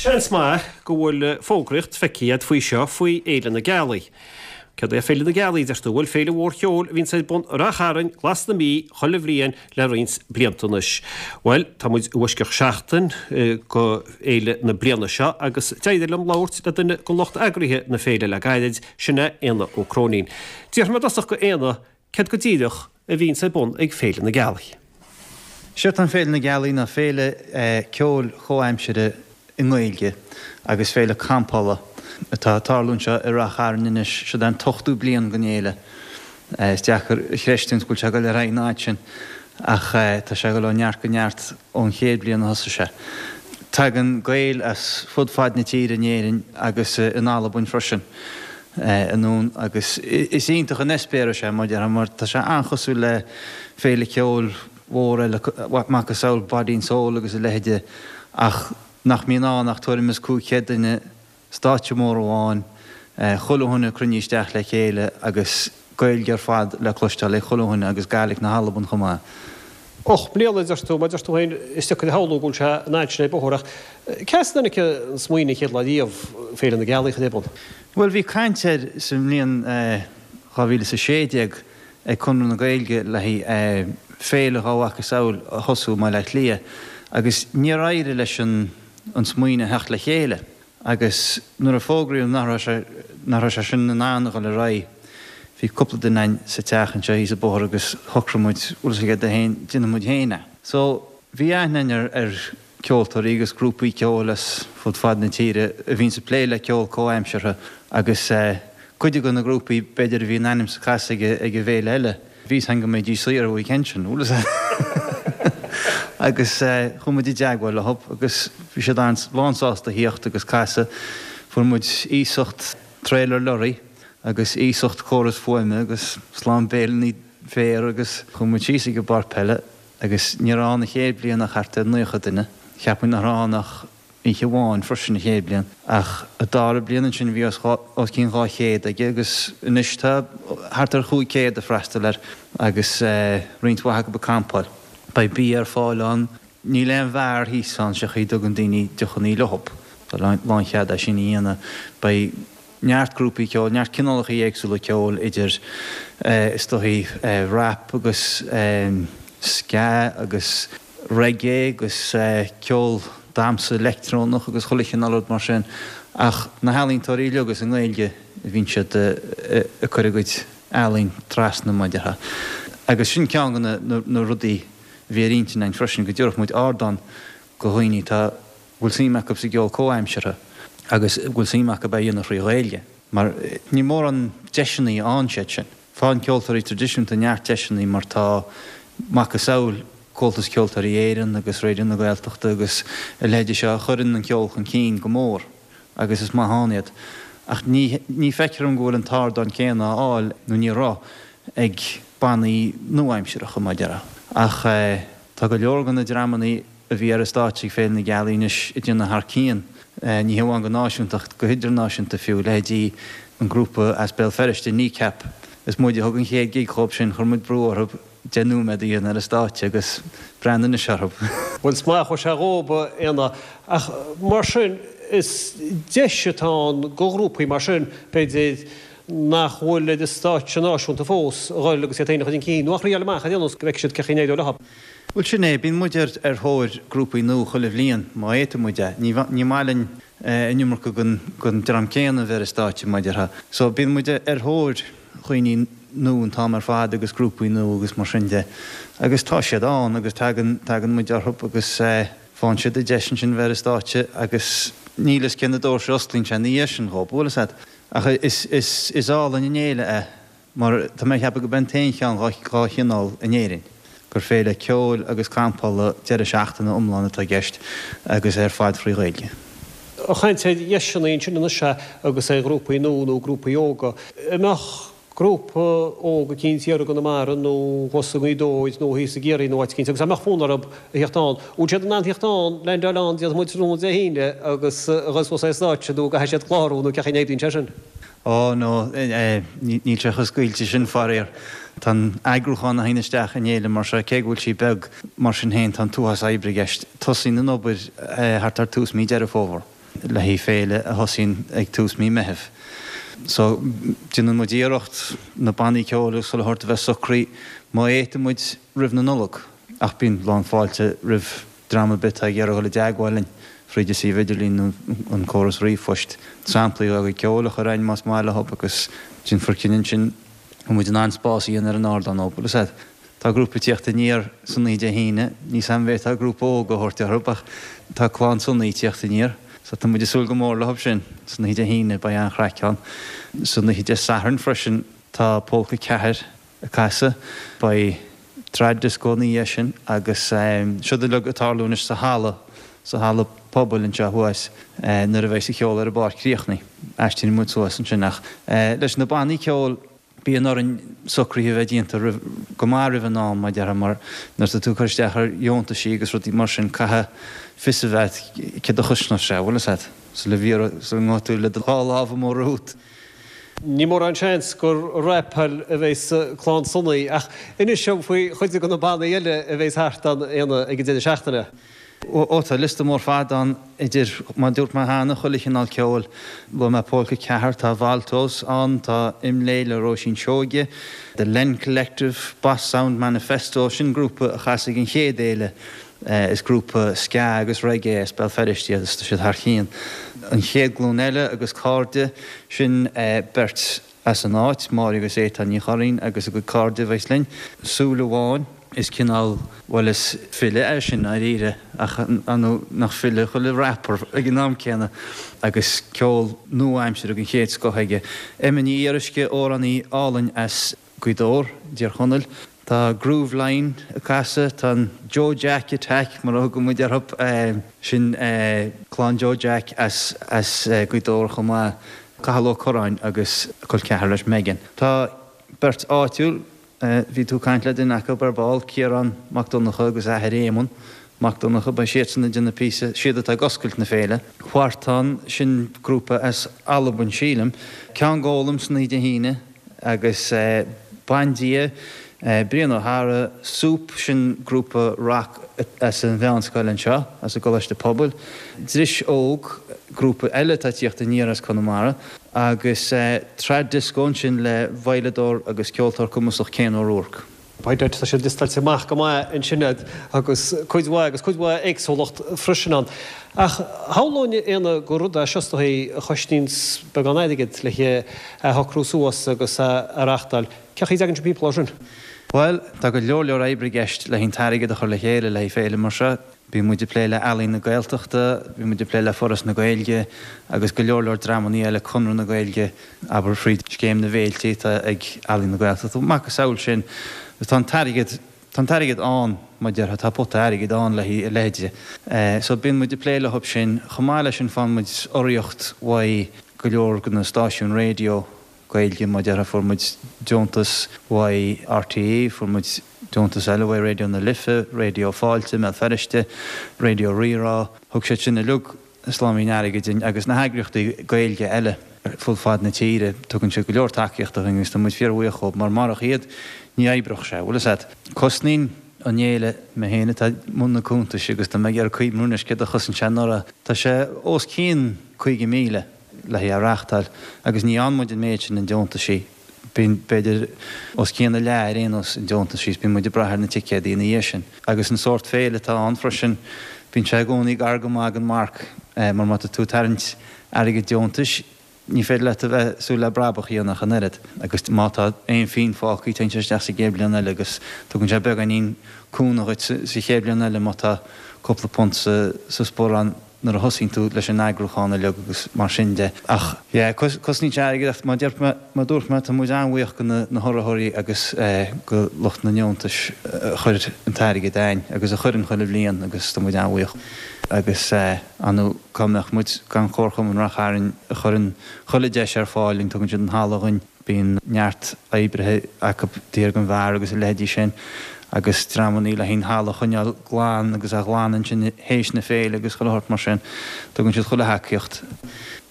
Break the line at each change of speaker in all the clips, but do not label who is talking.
Seans maith go bhfuil fógraíocht feicthe agat faoi seo faoi Fhéile na Gealaí. Céard é Féile na Gealaí, a deir tú? Bhuel, féile mhór cheoil a bhíonns ar bun i Rath Chairn, Glas na Mí, chuile bhliain le roinnt blianta anois. Bhuel, tá muid i bhfoisceacht seachtain go fhéile na bliana seo agus d'éirigh liom labhairt le duine de lucht eagraithe na féile le gairid, sin é Éanna Ó Cróinín. D'fhiafraigh mé i dtosach go Éanna céard go díreach a bhíonns ar bun ag Féile na Gealaí.
Séard atá in Féile na Gealaí ná féile ceoil chomhaimsire i nGaeilge agus féile campála atá ag tarlú anseo i Rath Chairn anois. Siod é an t-ochtú bliain den fhéile. Is deacair a chreistiúint go bhfuil sé ag dul ar aghaidh an fhad sin ach tá sé ag dul ó neart go neart ón chéad bhliain a thosaigh sé. Tagann Gaeil as fud fad na tíre in Éirinn agus in Albain freisin anonn agus is iontach an eispéireas é mar déarfá mar tá sé an-chosúil le féile ceoil mhór eile macasamhail Body and Soul agus a leithide ach nach mbíonn ann ach tuairim is 500 duine stáitse mór amháin, chuile dhuine cruinnithe isteach le chéile agus Gaeilge ar fad le cloisteáil ag chuile dhuine agus Gaidhlic na hAlban chomh maith.
8 mbliana, a deir tú, mar a deir tú féin, is deacair a shamhlú go bhfuil sé an fhad sin ar bóthar ach cé as a dtáinig an smaoineamh an chéad lá riamh Féile na Gealaí a chur ar bun?
Bhuel, bhí caint air sa mbliain 2016 ag Conradh na Gaeilge le haghaidh féile dá mhacasamhail a thosú i mBaile Átha Cliath agus níor éirigh leis an smaoineamh theacht le chéile. Agus nuair a fógraíodh nach raibh sé, nach raibh sé sin in ann a dhul ar aghaidh, bhí cúpla duine againn sa teach anseo thíos an bóthar agus shocraigh muid, bhfuil a fhios agat féin, déanfaidh muid féin é. So, bhí aithne againn ar, ar ceoltóirí agus grúpaí ceoil as fud fad na tíre a bhíonns ag plé le ceol comhaimseartha agus eh, cuid de na grúpaí b'fhéidir a bhí a n-ainm ag casadh ag, ag an bhféile eile. Bhí a fhios againn go mbeidís saor an weekend sin, bhfuil a fhios agat. Agus chuaigh muid i dteagmháil leo agus bhí siad lánsásta a thíocht agus casadh. Fuair muid iasacht trailer lorry agus iasacht córas fuaime agus slám béileanna féir agus chuaigh muid síos ag an bpáirc peile agus ní raibh ann an chéad bhliain ach thart ar 90 duine. Cheap muid nach raibh ann ach oíche amháin freisin an chéad bhliain, ach an dara bliain ansin bhí os os cionn 200 aige agus anois tá thart ar 500 ag freastal air agus roinnt mhaith acu ag campáil. Beidh bia ar fáil ann. Níl aon bheár thíos ann, sé chaoi a dtugann daoine deochannaí leo. Tá lánchead é sin a dhéanamh. Beidh. neart grúpaí ceoil, neart cineálacha éagsúla ceoil idir is dóichí rap agus ska agus reggae agus ceol damhsa leictreonach agus chuile chineál rud mar sin ach na healaíontóirí uilig is i nGaeilge a bhíonn siad ag cur a gcuid ealaín trasna mar a déarfá. Agus sin ceann de na rudaí a bhí ar intinn againn freisin go dtabharfadh muid ardán do dhaoine atá bhfuil suim acu sa gceol comhaimseartha agus a bhfuil suim acu é a dhéanamh thrí Ghaeilge, mar níl mórán deiseanna ann siad sin. Faigheann ceoltóirí traidisiúnta neart deiseanna mar tá macasamhail Comhaltas Ceoltóirí Éireann agus Raidió na Gaeltachta agus a leithéidí seo a chuireann an ceol chun cinn go mór agus is maith ann iad. Ach ní ní feictear dom go bhfuil an t-ardán céanna á fháil, nó ní raibh, ag bannaí nua-aimseartha, mar a déarfá. Ach tá go leor de na dreamanna a bhí ar an stáitse ag Féile na Gealaí anois ag déanamh thar cionn, ní hamháin go náisiúnta ach go hidirnáisiúnta fiú, leithéidí an grúpa as Béal Feirste, Kneecap. Is muid a thug an chéad gig dhóibh sin, chuir muid brú orthu 10 nóiméad a dhéanamh ar an stáitse agus breathnaigh anois orthu.
Bhuel, is maith a chuaigh sé dhóibh, a Éanna. Ach mar sin, is deis atá ann do ghrúpaí mar sin, b'fhéidir, nach bhfuil ar an stáitse náisiúnta fós, a dhul agus iad féin a chur chun cinn, nó a thriáil amach ar aon nós go bhfeicfidh siad cén chaoi a n-éireoidh leo.
Bhuel, sin é. Bíonn muid ar thóir grúpaí nua chuile bhliain, má fhéadfaidh muid é. Ní maith linn an iomarca den dream céanna a bheith ar an stáitse, mar a déarfá. So, bíonn muid ar thóir dhaoine nua an t-am ar fad agus grúpaí nua agus mar sin de. Agus tá siad ann agus tagann, tagann muid orthu agus faigheann siad an deis ansin bheith ar an stáitse agus níl a fhios cé na doirse a osclaíonn sé ina dhiaidh sin dhóibh, bhfuil a fhios agat. Ach is, is, is álainn an fhéile é. Mar tá mé ag ceapadh gurb é an t-aon cheann dhá chineál in Éirinn, gur féile ceoil agus campála deireadh seachtaine iomlán atá i gceist agus é ar fad thrí Ghaeilge.
Ag caint ar dheiseanna ansin anois agus ar ghrúpaí nua nó grúpaí óga. An mbeadh grúpa óg eicínt thiar i gConamara nó thuas i nGaoth Dobhair nó thíos i gCiarraí nó áit eicínt agus dá mbeadh fonn orthu a theacht ann, bhfuil siad in ann theacht ann, leaindeáil ann, déarfaidh muid tráthnóna Dé hAoine agus a dhul suas ar an stáitse nó an gcaithfidh siad clárú nó cén chaoi a n-oibríonn sé sin?
Ó, no, níl sé chomh scaoilte sin, faraor. Tá an eagrúchán a théann isteach in fhéile mar seo, cé go bhfuil sí beag, mar sin féin, tá an t-uafás oibre i gceist. Tosaíonn an obair thart ar tús mí Deireadh Fómhair. le haghaidh féile a thosaíonn ag tús mí Meitheamh. So, déanann muid iarracht na bannaí ceoil agus chuile shórt a bheith socraithe má fhéadann muid roimh na Nollag ach bíonn lán fáilte roimh dream ar bith atá ag iarraidh dul i dteagmháil linn fríd an suíomh idirlín nó an córas ríomhphoist samplaí dá gcuid ceoil a chur a'inn más maith leo agus déanfar cinneadh ansin an bhfuil muid in ann spás a dhéanamh ar an ardán dóibh. Bhuel, is ea. Tá grúpa ag tíocht aniar san oíche Dé hAoine. Níl 's a'm an bhféadfá grúpa óg a thabhairt orthu ach tá Clann Sonaí ag tíocht aniar. So tá muid ag súil go mór leo sin san oíche Dé hAoine, beidh an-chraic ann. San oíche Dé Sathairn freisin tá Pólca 4 ag casadh. Beidh Trad Disco ina dhiaidh sin agus siod uilig ag tarlú anois sa halla, sa halla pobail anseo thuas nuair a bheidh an cheol ar an bpáirc críochnaithe. Aistríonn muid suas ansin ach leis na bannaí ceoil, Bíonn orainn socruithe a bheith déanta roimh, go maith roimh an am, mar a déarfá, mar nuair atá tú ag cur isteach ar dheontaisí agus rudaí mar sin, caithfidh fios a bheith agat céard a chosnós sé, bhfuil fhios agat, sula bhfiarraidh, sula ngabhfaidh tú le do dhá lámh amuigh romhat.
Ní mórán seans gur rapáil a bheas Clann Sonaí, ach inis dom faoi chuid de na bannaí eile a bheas thart ann, Éanna, ag an deireadh seachtaine.
Ó, tá liosta mór fada ann idir, mar a dúirt mé cheana, chuile chineál ceoil. Luaigh mé Pólca 4, tá Valtos ann, tá Imlé le Róisín Seoige, The Len Collective, Boss Sound Manifesto, sin grúpa a chas ag an chéad fhéile, is grúpa ska agus reggae as Béal Feirste iad is tá siad thar cionn. An Chéad Ghlúin Eile agus Cairde, sin beirt as an áit, Máire agus Étáin Ní Churraoin agus a gcuid cairde a bheas linn. Súil Amháin, is cineál, bhuel is file é sin dáiríre ach ar ndóigh nach file chuile rapper ag an am céanna agus ceol nua-aimseartha den chéad scoth aige. Emma Ní Fhíoruisce, amhránaí álainn as Gaoth Dobhair, i dTír Chonaill. Tá Groove Line ag casadh, tá an Joe Jack Attack mar a thugann muid orthu, sin clann Joe Jack as Gaoth Dobhair chomh maith, Cathal Ó Curráin agus a col ceathar leis Megan. Tá beirt áitiúil, bhí tú ag caint le duine acu ar ball, Ciarán Mac Donncha agus a athair Éamonn Mac Donncha, beidh siadsan ag déanamh píosa, siad atá ag oscailt na féile. Huartan, sin grúpa as Albain sílim. Ceann Gólaim san oíche Dé hAoine. Agus Bandia, Brian Ó hEadhra, Soup, sin grúpa rac as an mheánscoil anseo, as an gColáiste Pobail, Dris Óg, grúpa eile atá ag tíocht aniar as Conamara, agus Trad Disco ansin le veidhleadóir agus ceoltóir cumasach Cian O'Rourke.
By dad, tá sé liostáilte amach go maith ansin agat agus cuid mhaith agus cuid mhaith éagsúlacht freisin ann. Ach shamhlóinn, Éanna, gur rud é seo is dóigh a chosnaíonns beagán airgid le é a shocrú suas agus a reachtáil. Cén chaoi a dtagann sibh timpeall air sin?
Bhuel, tá go leor leor oibre i gceist le an t-airgead a chur le chéile le haghaidh féile mar seo. Bíonn muid ag plé le Ealaín na Gaeltachta, bíonn muid ag plé le Foras na Gaeilge agus go leor leor dreamannaí eile, Conradh na Gaeilge, abair fríd Scéim na bhFéiltí atá ag Ealaín na Gaeltachta, macasamhail sin. Agus tá an t-airgead, tá an t-airgead ann, mar a déarfá, tá pota airgid ann le haghaidh a leithéide. So bíonn muid ag plé leo sin. Chomh maith leis sin faigheann muid urraíocht uaidh go leor de na stáisiúin raidió Gaeilge, mar a déarfá, fuair muid deontas uaidh RTÉ, fuair muid deontas eile uaidh Raidió na Life, Raidió Fáilte i mBéal Feirste, Raidió Rí-Rá, thug siad sin uilig sláimín airgid dúinn agus na heagraíochtaí Gaeilge eile ar fud fad na tíre, tugann siad go leor tacaíochta dúinn agus tá muid fíorbhuíoch dhóibh mar marach iad ní oibreodh sé, bhfuil fhios a't. Cosnaíonn an fhéile, mé féin atá i mbun na cuntais agus tá mé ag iarraidh cuimhniú anois céard a chosain sé anuraidh, tá sé os cionn 50,000. le haghaidh a reáchtáil agus ní fhaigheann muid an méid sin i ndeontaisí. Bíonn, b'fhéidir, os cionn a leath ar aon nós i ndeontaisí is bíonn muid ag brath ar na ticéadaí ina dhiaidh sin. Agus an sórt féile atá ann freisin, bíonn sé i gcónaí gar go maith don marc mar má tá tú ag tarraingt airgead deontais, ní féidir leat a bheith ag súil le brabach a dhéanamh ach an oiread. Agus má tá aon phingin fágtha, téann sé isteach sa gcéad bhliain eile agus tugann sé beagáinín cúnamh dhuit sa chéad bhliain eile má tá cúpla punt sa sparán. nuair a thosaíonn tú leis an eagrúchán uilig agus mar sin de. Ach yeah, cosnaíonn sé airgead ach mar mar dúirt mé, tá muid an-bhuíoch go na hurraitheoirí agus go lucht na ndeontais a chuir an t-airgead a'ainn agus a chuireann chuile bhliain agus tá muid an-bhuíoch. Agus ar ndóigh cá mbeadh muid gan Comharchumann Rath Chairn a chuireann chuile deis ar fáil dúinn, tugann siad an halla dhuinn. Bíonn neart oibrithe acu taobh thiar den bheár agus a leithéidí sin agus dreamannaí le haghaidh an halla a choinneáil glan agus a ghlanadh ansin théis na féile agus chuile shórt mar sin. Tugann siad chuile thacaíocht.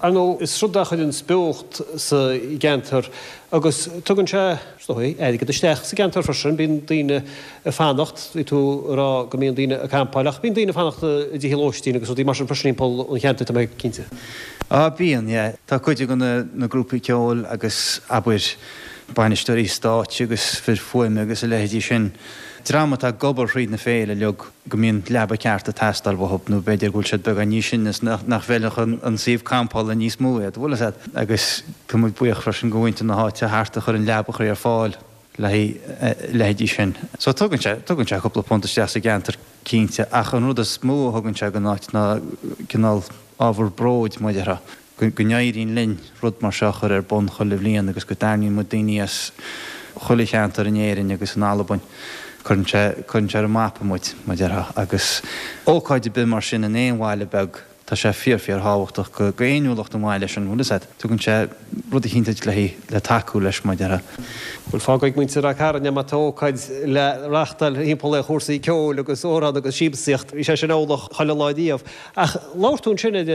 Ar ndóigh, is rud é a chuireanns beocht sa gceantar agus tugann sé, is dóigh, airgead isteach sa gceantar freisin. Bíonn daoine ag fanacht, bhí tú ag rá go mbíonn daoine ag campáil ach bíonn daoine ag fanacht i dtithe lóistín agus rudaí mar sin freisin timpeall an cheantair, tá mé cinnte.
Á, bíonn, yeah. Tá cuid de na grúpaí ceoil agus, abair, bainisteoirí stáitse agus fir fuaime agus a leithéidí sin, dream atá ag obair thríd na féile uilig, go mbíonn leaba ceart ag teastáil uathub nó b'fhéidir go bhfuil siad beagán níos sine is nach bhfeilfeadh an suíomh campála níos mó iad, bhfuil fhios a'd. Agus tá muid buíoch freisin go mhuintir na háite thart a chuireann leabachaí ar fáil le haghaidh leithéidí sin. So tugann sé, tugann sé cúpla punt isteach sa gceantar cinnte ach an rud is mó a thugann sé don áit ná cineál ábhar bróid, mar a déarfá, go n-éiríonn linn rud mar seo a chur ar bun chuile bhliain agus go dtarraingíonn muid daoine as chuile cheantar in Éirinn agus in Albain. Cuireann sé, cuireann sé ar an mapa muid, mar a déarfá, agus ócáid ar bith mar sin in aon bhaile beag, tá sé fíor fíor thábhachtach go fhéiniúlacht an bhaile sin, bhfuil fhios a'd. Tugann sé rud eicínt duit le le tacú leis, mar a déarfá.
Bhuel, fágfaidh muintir Ráth Cairn má tá ócáid le reáchtáil thimpeall ar chúrsaí ceoil agus amhrán agus siamsaíocht. Bhí sé sin amhlaidh chuile lá riamh. Ach labhair tú ansin ar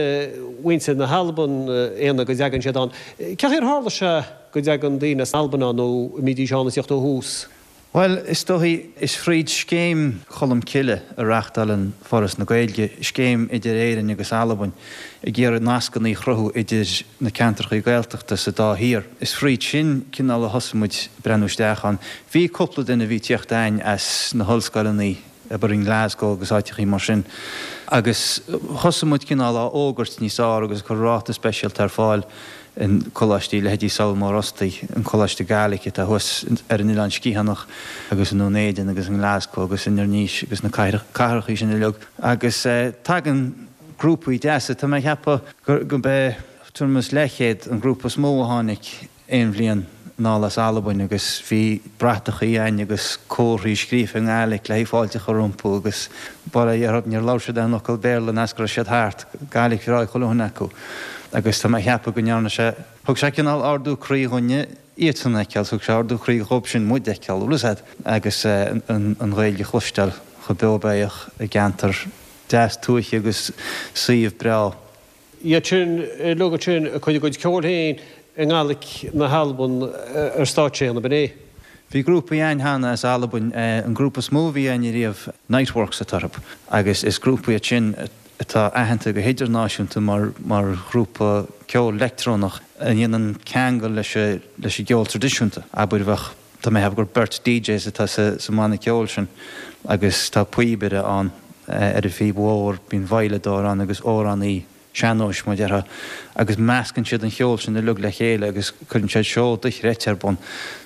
mhuintir na hAlban, Éanna, go dtagann siad ann. Cén chaoi ar tharla sé go dtagann daoine as Albain ann nó an mbídís ann ag tíocht ó thús?
Bhuel, is dóichí, is fríd Scéim Cholm Cille a reáchtálann Foras na Gaeilge, scéim idir Éirinn agus Albain, ag iarraidh nascanna a chruthú idir na ceantrachaí Gaeltachta sa dá thír. Is fríd sin cineál a thosaigh muid ag breathnú isteach ann. Bhí cúpla duine a bhí ag tíocht a'ainn as na hollscoileanna, abair i nGlasgow agus áiteachaí mar sin, agus thosaigh muid cineál á fhógairt níos fearr agus ag cur ráta speisialta ar fáil in coláistí, leithéidí Sabhal Mór Ostaig, an Coláiste Gaelic atá thuas ar an Oileán Sciathánach agus i nDún Éideann agus i nGlasgow agus in Inbhir Nis agus na cathrachaí sin uilig. Agus tagann grúpaí deasa, tá mé ag ceapadh gurb é tuairim is leathchéad an grúpa is mó a tháinig aon bhliain anall as Albain agus bhí bratachaí a'ainn agus comharthaí scríofa i nGaelic le haghaidh fáilte a chur rompu agus bail ó Dhia orthu níor labhair siad aon fhocal Béarla an fhad is go raibh siad thart, Gaelic bhreá ag chuile dhuine acu agus tá mé a cheapadh go ndearna sé, thug sé cineál ardú croí dhúinne iadsan a fheiceáil, thug sé ardú croí dhóibh sin muid a fheiceáil, bhfuil fhios a'd, agus an Ghaeilge a chloisteáil chomh beo béitheach i gceantar deas tuaithe agus suíomh breá.
Iad sin uilig ansin ag cur a gcuid ceoil féin i nGaelic na hAlban ar stáitse, ab in é?
Bhí grúpaí a'ainn cheana as Albain, an grúpa is mó a bhí a'ainn ariamh, Niteworks atá orthu, agus is grúpa iad sin atá aitheanta go hidirnáisiúnta mar mar ghrúpa ceoil leictreonach a dhéanann ceangal leis leis an gceol traidisiúnta. Abair bheadh, tá mé a cheapadh gur beirt DJs atá sa sa mbanna ceoil sin agus tá píobaire ann ar an phíb mhór, bíonn veidhleadóir ann agus amhránaí sean-nóis, mar a déarfá, agus meascann siad an cheol sin uilig le chéile agus cuireann siad seó dochreidte ar bun.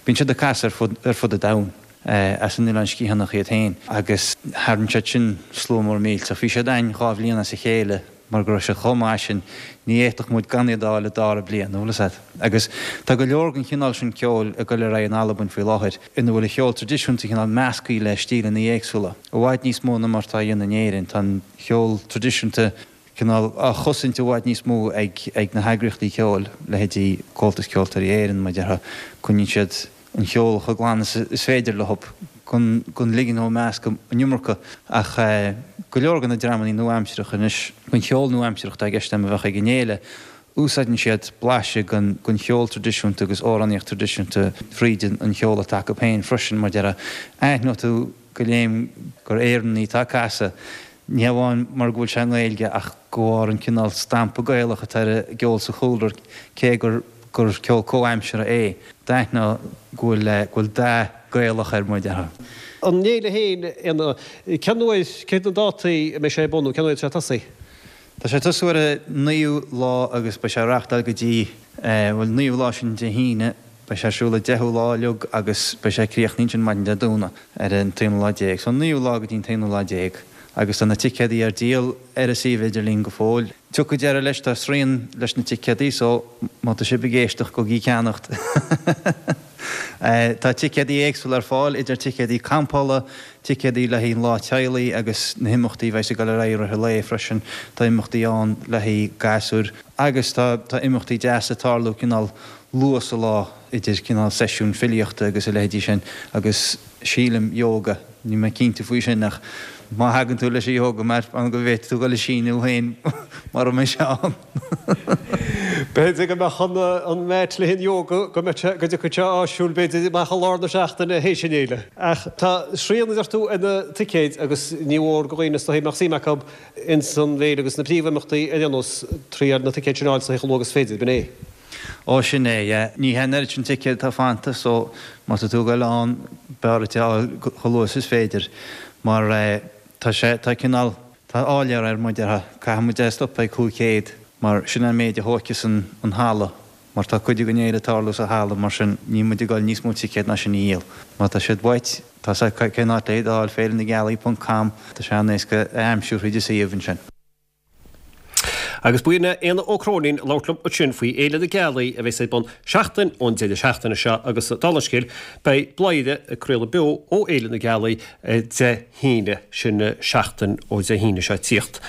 Bíonn siad ag casadh ar fud ar fud an domhain, as an Oileán Sciathánach iad féin, agus tharraing siad sin slua mór millteach. Bhí siad a'ainn 2 bhliain as a chéile mar go raibh siad chomh maith sin, ní fhéadfadh muid gan iad a fháil an dara bliain, an bhfuil fhios a'd. Agus tá go leor den chineál sin ceoil ag dul ar aghaidh in Albain faoi láthair, ina bhfuil an cheol traidisiúnta cineál measctha le stíleanna éagsúla, i bhfad níos mó ná mar atá á dhéanamh in Éirinn. Tá an cheol traidisiúnta cineál á chosaint i bhfad níos mó ag ag na heagraíochtaí ceoil, leithéidí Comhaltas Ceoltóirí Éireann, mar a déarfá. Coinníonn siad an cheol chomh glan is is féidir leo gan gan ligean dó meascadh an iomarca. Ach go leor de na dreamannaí nua-aimseartha anois, den cheol nua-aimseartha atá i gceist agam a bheadh ag an fhéile, úsáideann siad blaiseadh den den cheol traidisiúnta agus amhránaíocht traidisiúnta fríd an cheol atá acu féin freisin, mar a déarfá. Aithneoidh tú go léim gur Éireannaigh atá ag casadh, ní hamháin mar go bhfuil sé i nGaeilge ach de bharr an cineál stampa Gaelach atá ar an gceol sa chúlra cé gur gur ceol comhaimseartha é. D'aithneofá go bhfuil go bhfuil dath Gaelach air mar a déarfá.
An fhéile féin, Éanna, cén uair, cé na dátaí a mbeidh sé ar bun nó cén uair atá sé ag tosaí?
Tá sé ag tosú ar an 9ú lá agus beidh sé á reáchtáil go dtí, bhuel, 9ú lá sin Dé hAoine, Beidh sé ar siúl an 10ú lá uilig agus beidh sé ag críochnú ansin maidin Dé Domhnaigh ar an t-aonú lá déag. So an 9ú lá go dtí an t-aonú lá déag agus tá na ticéadaí ar díol ar an suíomh idirlín go fóill. Tiocfaidh deireadh leis, tá srian leis na ticéadaí so má tá sibh ag éisteacht gabhaigí ag ceannacht. Tá ticéadaí éagsúla ar fáil, idir ticéadaí campála, ticéadaí le haghaidh an lá teaghlaigh agus na himeachtaí a bheas ag dul ar aghaidh i rith an lae freisin. Tá imeachtaí ann le haghaidh gasúir agus tá tá imeachtaí deasa ag tarlú cineál luath sa lá idir cineál seisiún filíochta agus a leithéidí sin agus sílim yoga. Níl mé cinnte faoi sin ach má thagann tú leis an yoga mat b'fhéidir go bhféadfaidh tú dul ag síniú féin mura mbeidh sé ann.
B'fhéidir go mbeadh an mat le haghaidh an yoga go mbeadh sé go dtiocfadh sé áisiúil b'fhéidir amach i lár na seachtaine théis an fhéile. Ach tá srian a deir tú ar na ticéid agus ní mhór do dhaoine is dóichí a mbeadh suim acu ins an bhféile agus na príomhimeachtaí ar aon nós triail na ticéid sin a fháil chomh luath agus is féidir, b'in é.
Ó sin é, yeah. Ní hé an oiread sin ticéad atá fanta so má tá tú ag goil ann b'fhearr duit é a fháil chomh luath is is féidir mar tá sé, tá cineál, tá áiléar air mar a déarfá. Caithfidh muid é a stopadh ag 500 mar sin é an méid a thóigfeas an an halla mar tá cuid den fhéile ag tarlú sa halla mar sin níl muid ag goil níos mó ticéad ná sin a dhíol. Má tá siad uait, tá 's agat cén áit le iad a fháil, féilenagealaí.com, tá sé an-éasca a aimsiú thríd an suíomh ansin.
Agus b'in é Éanna Ó Cróinín ag labhairt liom ansin faoi Fhéile na Gealaí a bheas ar bun seachtain ón deireadh seachtaine seo agus dála an scéil beidh Bladhaire ag craoladh beo ó Fhéile na Gealaí Dé hAoine, sin seachtain ó Dé hAoine seo ag tíocht.